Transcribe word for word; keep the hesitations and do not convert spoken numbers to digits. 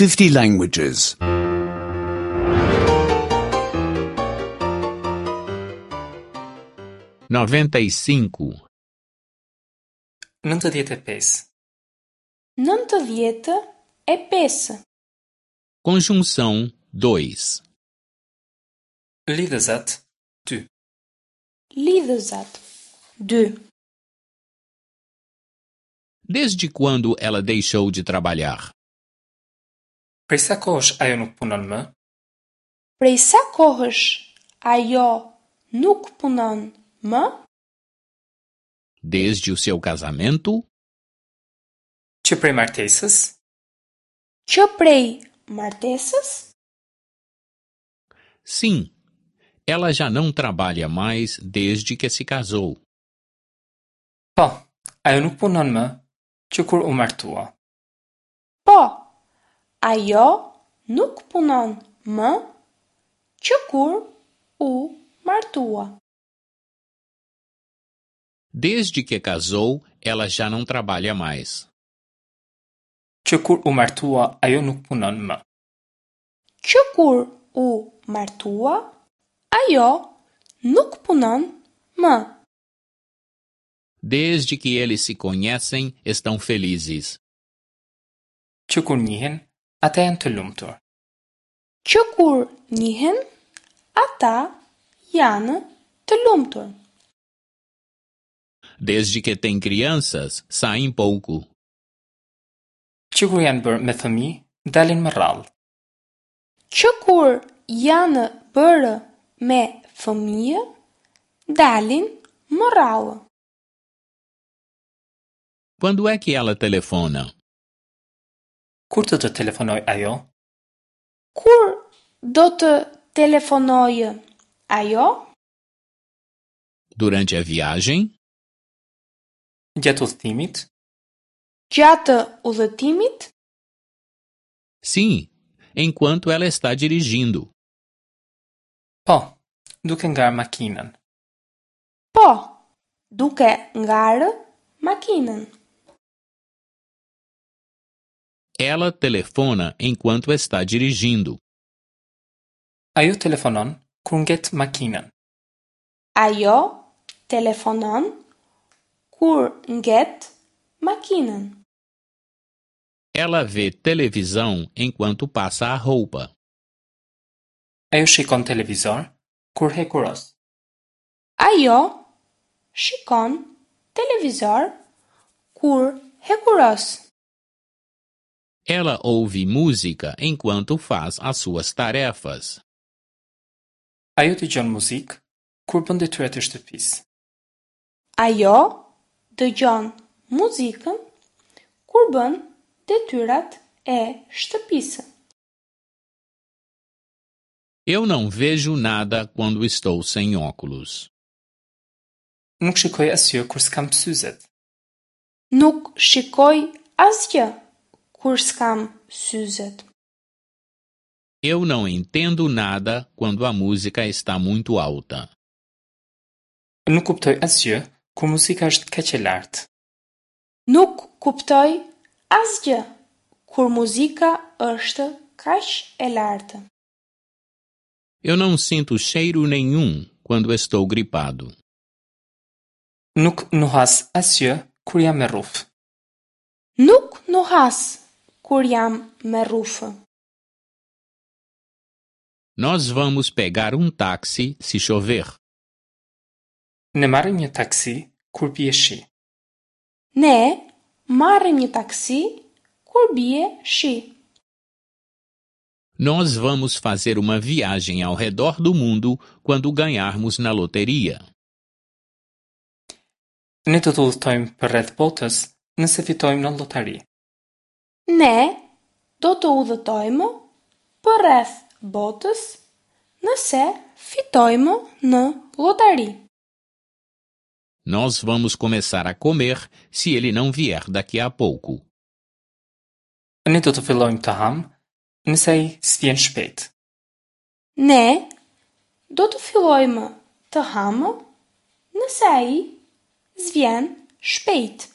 fifty languages. noventa e cinco, Nëntëdhjetë e pesë. Nëntëdhjetë e pesë. Conjunção dois. Lidhëzat dy. Lidhëzat dy. Desde quando ela deixou de trabalhar? Prej sa kohësh ajo nuk punon më? Prej sa kohësh ajo nuk punon më? Desde o seu casamento? Që prej martesës? Që prej martesës? Sim, ela já não trabalha mais desde que se casou. Po, ajo nuk punon më që kur u martua. Po, ajo nuk punon më që kur u martua. Desde que casou, ela já não trabalha mais. Që kur u martua, ajo nuk punon më. Që kur u martua, ajo nuk punon më. Desde que eles se conhecem, estão felizes. Që kur njihen, ata janë të lumtur. Që kur njihen, ata janë të lumtur. Desde que têm crianças, saem pouco. Që kur janë bërë me fëmijë, dalin më rrallë. Që kur janë bërë me fëmijë, dalin më rrallë. Quando é que ela telefona? Kur do të telefonojë ajo? Kur do të telefonojë ajo? Durante a viagem? Gjatë udhëtimit? Gjatë udhëtimit? Sim, enquanto ela está dirigindo. Po, duke ngarë makinën. Po, duke ngarë makinën. Ela telefona enquanto está dirigindo. Ajo telefonon kur nget makinën. Ajo telefonon kur nget makinën. Ela vê televisão enquanto passa a roupa. Ajo shikon televizor kur hekuros. Ajo shikon televizor kur hekuros. Ela ouve música enquanto faz as suas tarefas. Ajo dëgjon muzikë kur bën detyrat e shtëpisë. Ajo dëgjon muzikën kur bën detyrat e shtëpisë. Eu não vejo nada quando estou sem óculos. Nuk shikoj asgjë kur s'kam syzet. Nuk shikoj asgjë kur s'kam syzet. Eu não entendo nada quando a música está muito alta. Nuk kuptoj asgjë kur muzika është kaq e lartë. Nuk kuptoj asgjë kur muzika është kaq e lartë. Eu não sinto cheiro nenhum quando estou gripado. Nuk nuhas asgjë kur jam me rrufë. Nuk nuhas kur jam me rrufë. Nós vamos pegar um táxi se chover. Ne marrim një taksi kur bie shi. Ne marrim një taksi kur bie shi. Nós vamos fazer uma viagem ao redor do mundo quando ganharmos na loteria. Ne do të udhëtojmë përreth botës nëse fitojmë në lotari. Ne do të udhëtojmë përreth botës nëse fitojmë në lotari. Nós vamos começar a comer se ele não vier daqui a pouco. Ne do të fillojmë të hamë nëse ai s'vjen shpejt. Ne do të fillojmë të hamë nëse ai s'vjen shpejt.